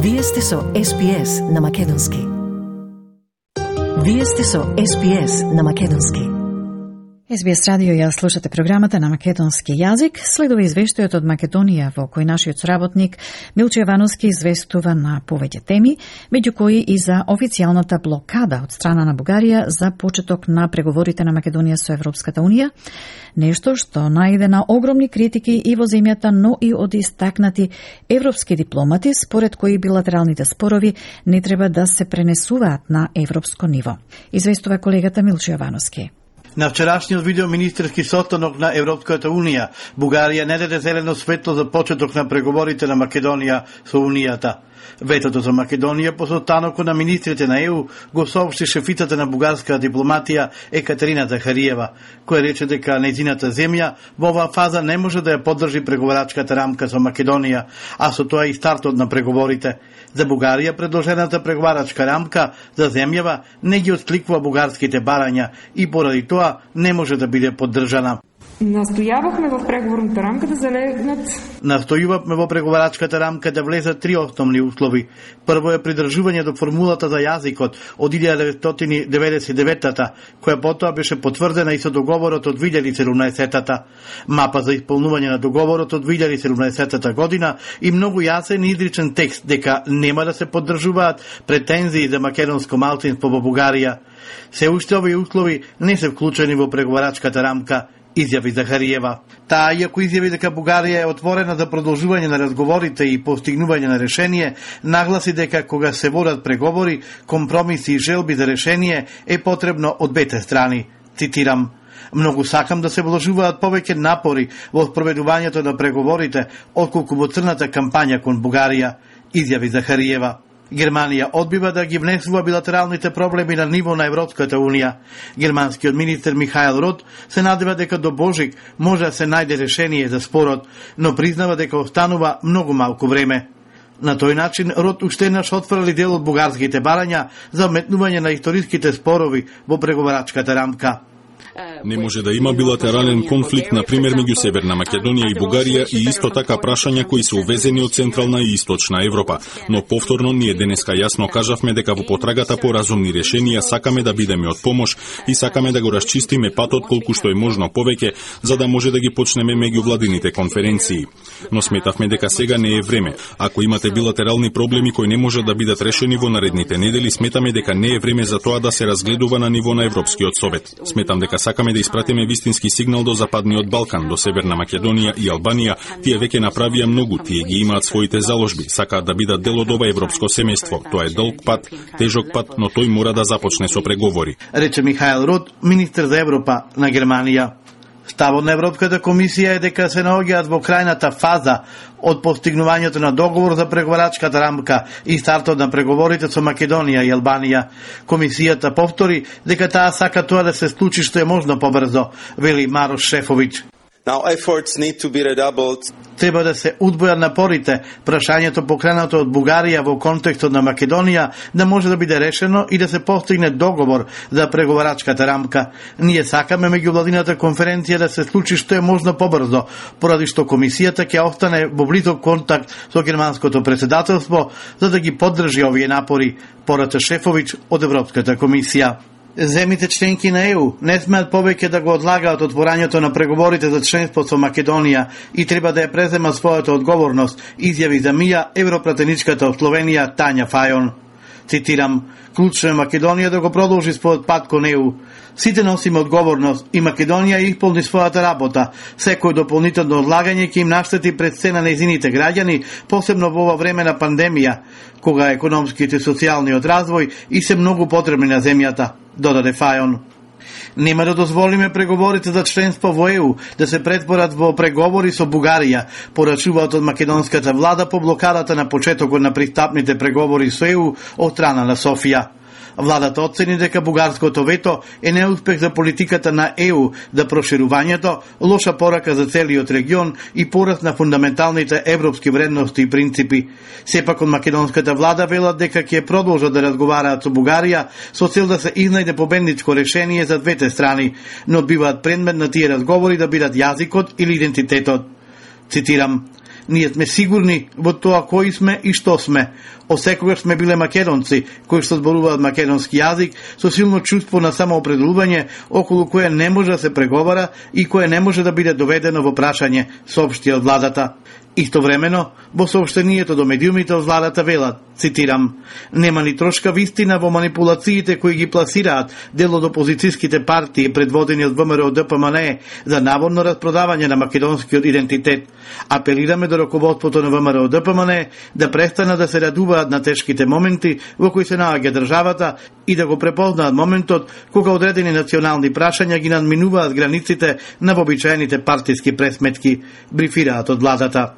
Вие сте со SPS на македонски. Вие сте со SPS на македонски. SBS радио ја слушате програмата на македонски јазик. Следува извештајот од Македонија во кој нашиот сработник Милчо Јовановски известува на повеќе теми, меѓу кои и за официјалната блокада од страна на Бугарија за почеток на преговорите на Македонија со Европската Унија, нешто што најде на огромни критики и во земјата, но и од истакнати европски дипломати, според кои билатералните спорови не треба да се пренесуваат на европско ниво. Известува колегата Милчо Јовановски. На вчерашниот видеоминистерски состанок на Европската Унија, Бугарија не даде зелено светло за почеток на преговорите на Македонија со Унијата. Ветото за Македонија по состанокот на министрите на ЕУ го соопшти шефицата на бугарска дипломатија Екатерина Захариева, која рече дека нејзината земја во оваа фаза не може да ја поддржи преговарачката рамка со Македонија, а со тоа и стартот на преговорите. За Бугарија предложената преговарачка рамка за земјава не ги откликува бугарските барања и поради тоа не може да биде поддржана. Настојававме во преговорната рамка да залегнат. Настојувавме во преговарачката рамка да влезат три основни услови. Прво е придржување до формулата за јазикот од 1999-та, која потоа беше потврдена и со договорот од 2017-та. Мапа за исполнување на договорот од 2017 година и многу јасен и изричен текст дека нема да се поддржуваат претензии за македонско малцинство во Бугарија. Се уште овие услови не се вклучени во преговарачката рамка, изјави Захариева. Таа, иако изјави дека Бугарија е отворена за продолжување на разговорите и постигнување на решение, нагласи дека кога се водат преговори, компромиси и желби за решение е потребно од двете страни. Цитирам: "Многу сакам да се вложуваат повеќе напори во спроведувањето на преговорите, отколку во црната кампања кон Бугарија", изјави Захариева. Германија одбива да ги внесува билатералните проблеми на ниво на Европската Унија. Германскиот министер Михаел Рот се надева дека до Божик може да се најде решение за спорот, но признава дека останува многу малку време. На тој начин Рот уште еднаш отфрли дел од бугарските барања за вметнување на историските спорови во преговарачката рамка. Не може да има билатерален конфликт, например, меѓу Северна Македонија и Бугарија и исто така прашања кои се увезени од Централна и Источна Европа. Но повторно ние денеска јасно кажавме дека во потрагата по разумни решенија сакаме да бидеме од помош и сакаме да го расчистиме патот колку што е можно повеќе, за да може да ги почнеме меѓувладините конференции. Но сметавме дека сега не е време. Ако имате билатерални проблеми кои не може да бидат решени во наредните недели, сметаме дека не е време за тоа да се разгледува на ниво на Европскиот совет. Сметам дека сакаме да испратиме вистински сигнал до Западниот Балкан, до Северна Македонија и Албанија. Тие веќе направија многу, тие ги имаат своите заложби, сакаат да бидат дел од ова европско семејство. Тоа е долг пат, тежок пат, но тој мора да започне со преговори, рече Михаел Рот, министер за Европа на Германија. Ставот на Европската комисија е дека се наоѓаат во крајната фаза од постигнувањето на договор за преговарачката рамка и стартот на преговорите со Македонија и Албанија. Комисијата повтори дека таа сака тоа да се случи што е можно побрзо, вели Марош Шефовиќ. Now efforts need to be redoubled. Треба да се удвојат напорите, прашањето покренато од Бугарија во контекстот на Македонија да може да биде решено и да се постигне договор за преговарачката рамка. Ние сакаме меѓувладината конференција да се случи што е можно побрзо, поради што комисијата ќе остане во близок контакт со германското претседателство за да ги поддржи овие напори, порача Шефовиќ од Европската комисија. Земите членки на ЕУ не смеат повеќе да го одлагаат отворањето на преговорите за членство со Македонија и треба да ја презема својата одговорност, изјави за МИА европратеничката од Словенија Тања Фајон. Цитирам: "Клучно е Македонија да го продолжи својот пат кон ЕУ. Сите носиме одговорност и Македонија исполни својата работа. Секој дополнително одлагање ќе им наштети пред се на нејзините граѓани, посебно во ова време на пандемија, кога економските и социјалниот развој и се многу потребни на земјата", додаде Фајон. "Нема да дозволиме преговорите за членство во ЕУ да се претворат во преговори со Бугарија", порачуваат од македонската влада по блокадата на почетокот на пристапните преговори со ЕУ од страна на Софија. Владата оцени дека бугарското вето е неуспех за политиката на ЕУ да проширувањето, лоша порака за целиот регион и пораст на фундаменталните европски вредности и принципи. Сепак од македонската влада велат дека ќе продолжат да разговараат со Бугарија со цел да се изнајде победничко решение за двете страни, но биваат предмет на тие разговори да бидат јазикот или идентитетот. Цитирам: Ние сме сигурни во тоа кои сме и што сме. Осекогаш сме биле македонци, кои што зборуваат македонски јазик, со силно чувство на самоопределување, околу кое не може да се преговара и кое не може да биде доведено во прашање, соопшти од владата. Истовремено, во сообштението до медиумите од владата велат, цитирам, нема ни трошка вистина во манипулациите кои ги пласираат дел од опозицијските партии предводени од ВМРО ДПМН за наводно распродавање на македонскиот идентитет. Апелираме до раководството на ВМРО ДПМН да престанат да се радуваат на тешките моменти во кои се наоѓа државата и да го препознаат моментот кога одредени национални прашања ги надминуваат границите на вообичаените партиски пресметки, брифираат од владата.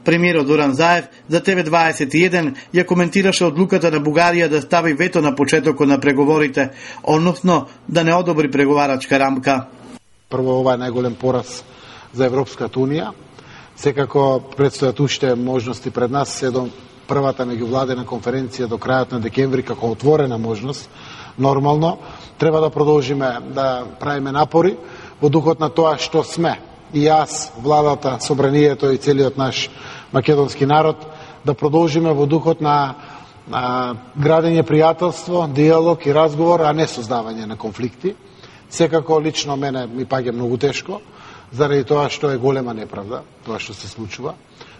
Премиерот Зоран Заев за ТВ21 ја коментираше одлуката на Бугарија да стави вето на почетокот на преговорите, односно да не одобри преговарачка рамка. Прво, ова е најголем пораз за Европската Унија. Секако предстојат уште можности пред нас, се до првата меѓувладена конференција до крајот на декември како отворена можност. Нормално, треба да продолжиме да правиме напори во духот на тоа што сме. И јас, владата, собранието и целиот наш македонски народ, да продолжиме во духот на градење пријателство, диалог и разговор, а не создавање на конфликти. Секако лично мене ми паѓа многу тешко, заради тоа што е голема неправда, тоа што се случува.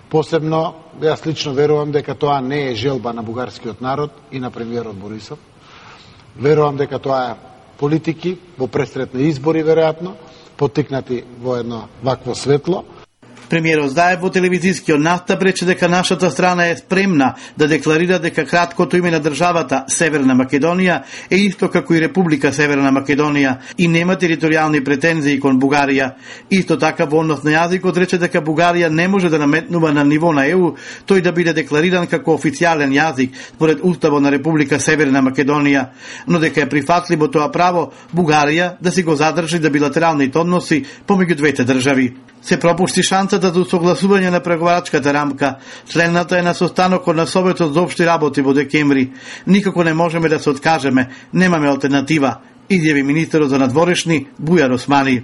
Посебно, јас лично верувам дека тоа не е желба на бугарскиот народ и на премиерот Борисов. Верувам дека тоа е политики во пресретни избори, веројатно, поттикнати во едно вакво светло. Премиерот Заев во телевизискиот настап рече дека нашата страна е спремна да декларира дека краткото име на државата Северна Македонија е исто како и Република Северна Македонија и нема територијални претензии кон Бугарија. Исто така во однос на јазикот рече дека Бугарија не може да наметнува на ниво на ЕУ тој да биде деклариран како официјален јазик според Уставот на Република Северна Македонија, но дека е прифатливо тоа право Бугарија да си го задржи за билатералните односи помеѓу двете држави. Се пропушти шансата за согласување на преговарачката рамка. Следната е на состанокот на Советот за општи работи во декември. Никако не можеме да се откажеме, немаме алтернатива, изјави министерот за надворешни Бујар Османи.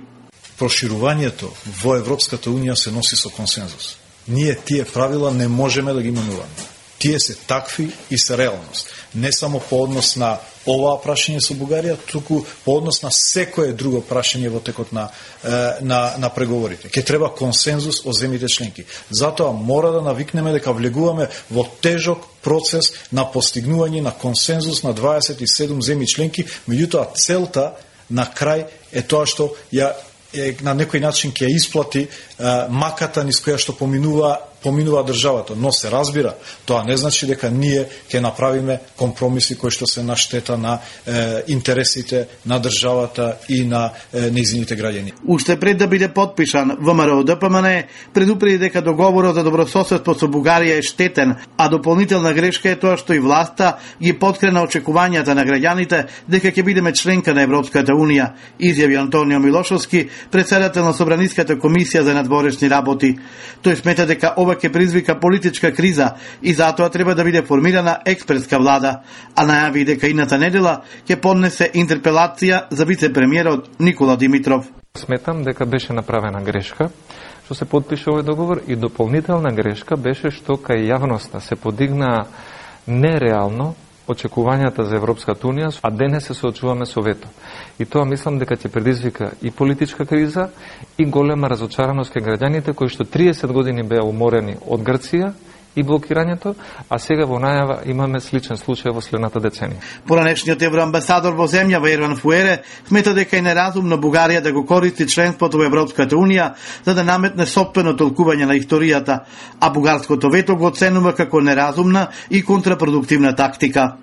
Проширувањето во Европската Унија се носи со консензус. Ние тие правила не можеме да ги менуваме. Тие се такви и се реалност. Не само по однос на оваа прашање со Бугарија, туку по однос на секое друго прашање во текот на преговорите. Ке треба консензус од земјите членки. Затоа мора да навикнеме дека влегуваме во тежок процес на постигнување на консензус на 27 земји членки, меѓутоа целта на крај е тоа што ја на некој начин ќе исплати маката низ која што поминува државата, но се разбира, тоа не значи дека ние ќе направиме компромиси кои што се на штета на интересите на државата и на нејзините граѓани. Уште пред да биде потпишан, ВМРО ДПМН предупреди дека договорот за добрососедство со Бугарија е штетен, а дополнителна грешка е тоа што и власта ги поткрена очекувањата на граѓаните дека ќе бидеме членка на Европската Унија, изјави Антонио Милошовски, председател на Собраниската комисија за надворешни работи. Тој смета дека ова ќе призвика политичка криза и затоа треба да биде формирана експертска влада, а најави дека идната недела ќе поднесе интерпелација за вице-премиерот Никола Димитров. Сметам дека беше направена грешка што се потпише овој договор и дополнителна грешка беше што кај јавноста се подигна нереално очекувањата за Европската Унија, а денес се соочуваме со вето. И тоа мислам дека ќе предизвика и политичка криза и голема разочараност кај граѓаните кои што 30 години беа уморени од Грција и блокирањето, а сега во најава имаме сличен случај во следната деценија. Поранешниот евроамбасадор во земјава Ерван Фуере смета дека е неразумно Бугарија да го користи членството во Европската Унија за да наметне сопствено толкување на историјата, а бугарското вето го оценува како неразумна и контрапродуктивна тактика.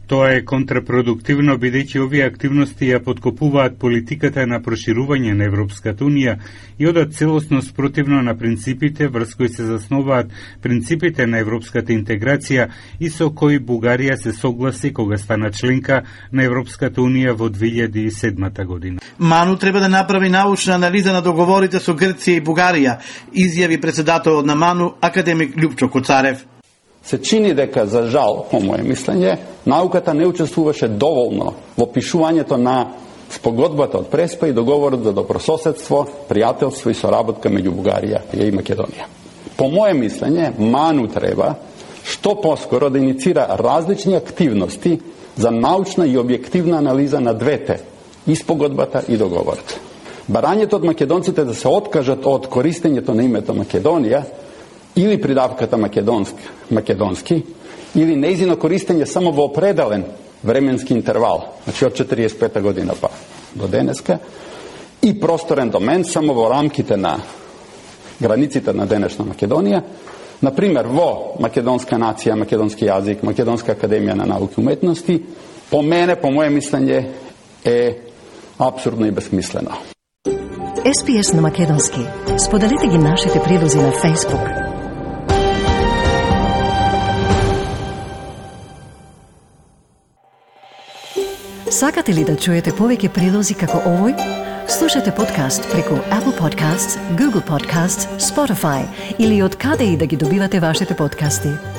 Тоа е контрапродуктивно бидејќи овие активности ја подкопуваат политиката на проширување на Европската Унија и одат целосно спротивно на принципите врз кои се заснуваат принципите на европската интеграција и со кои Бугарија се согласи кога стана членка на Европската Унија во 2007 година. Ману треба да направи научна анализа на договорите со Грција и Бугарија, изјави председателот на Ману академик Љупчо Коцарев. Се чини дека, за жал, по моје мислење, науката не учествуваше доволно во пишувањето на спогодбата од Преспа и договорот за добрососедство, пријателство и соработка меѓу Бугарија и Македонија. Po moje mišljenje, Manu treba što poskoro da inicira različne aktivnosti za naučna i objektivna analiza na двете, испогодбата и договорот. Барањето од македонците да се откажат од користењето на името Македонија или придавката македонски, или нејзино користење само во определен временски интервал, значи од 45 година па до денеска, и просторен домен само во рамките на границите на денешна Македонија, например во македонска нација, македонски јазик, Македонска академија на науки и уметности, по моје мислење е апсурдно и безсмислено. SPS на македонски. Споделете ги нашите прилози на Facebook. Сакате ли да чуете повеќе прилози како овој? Слушате подкаст преку Apple Podcasts, Google Podcasts, Spotify или од каде и да ги добивате вашите подкасти.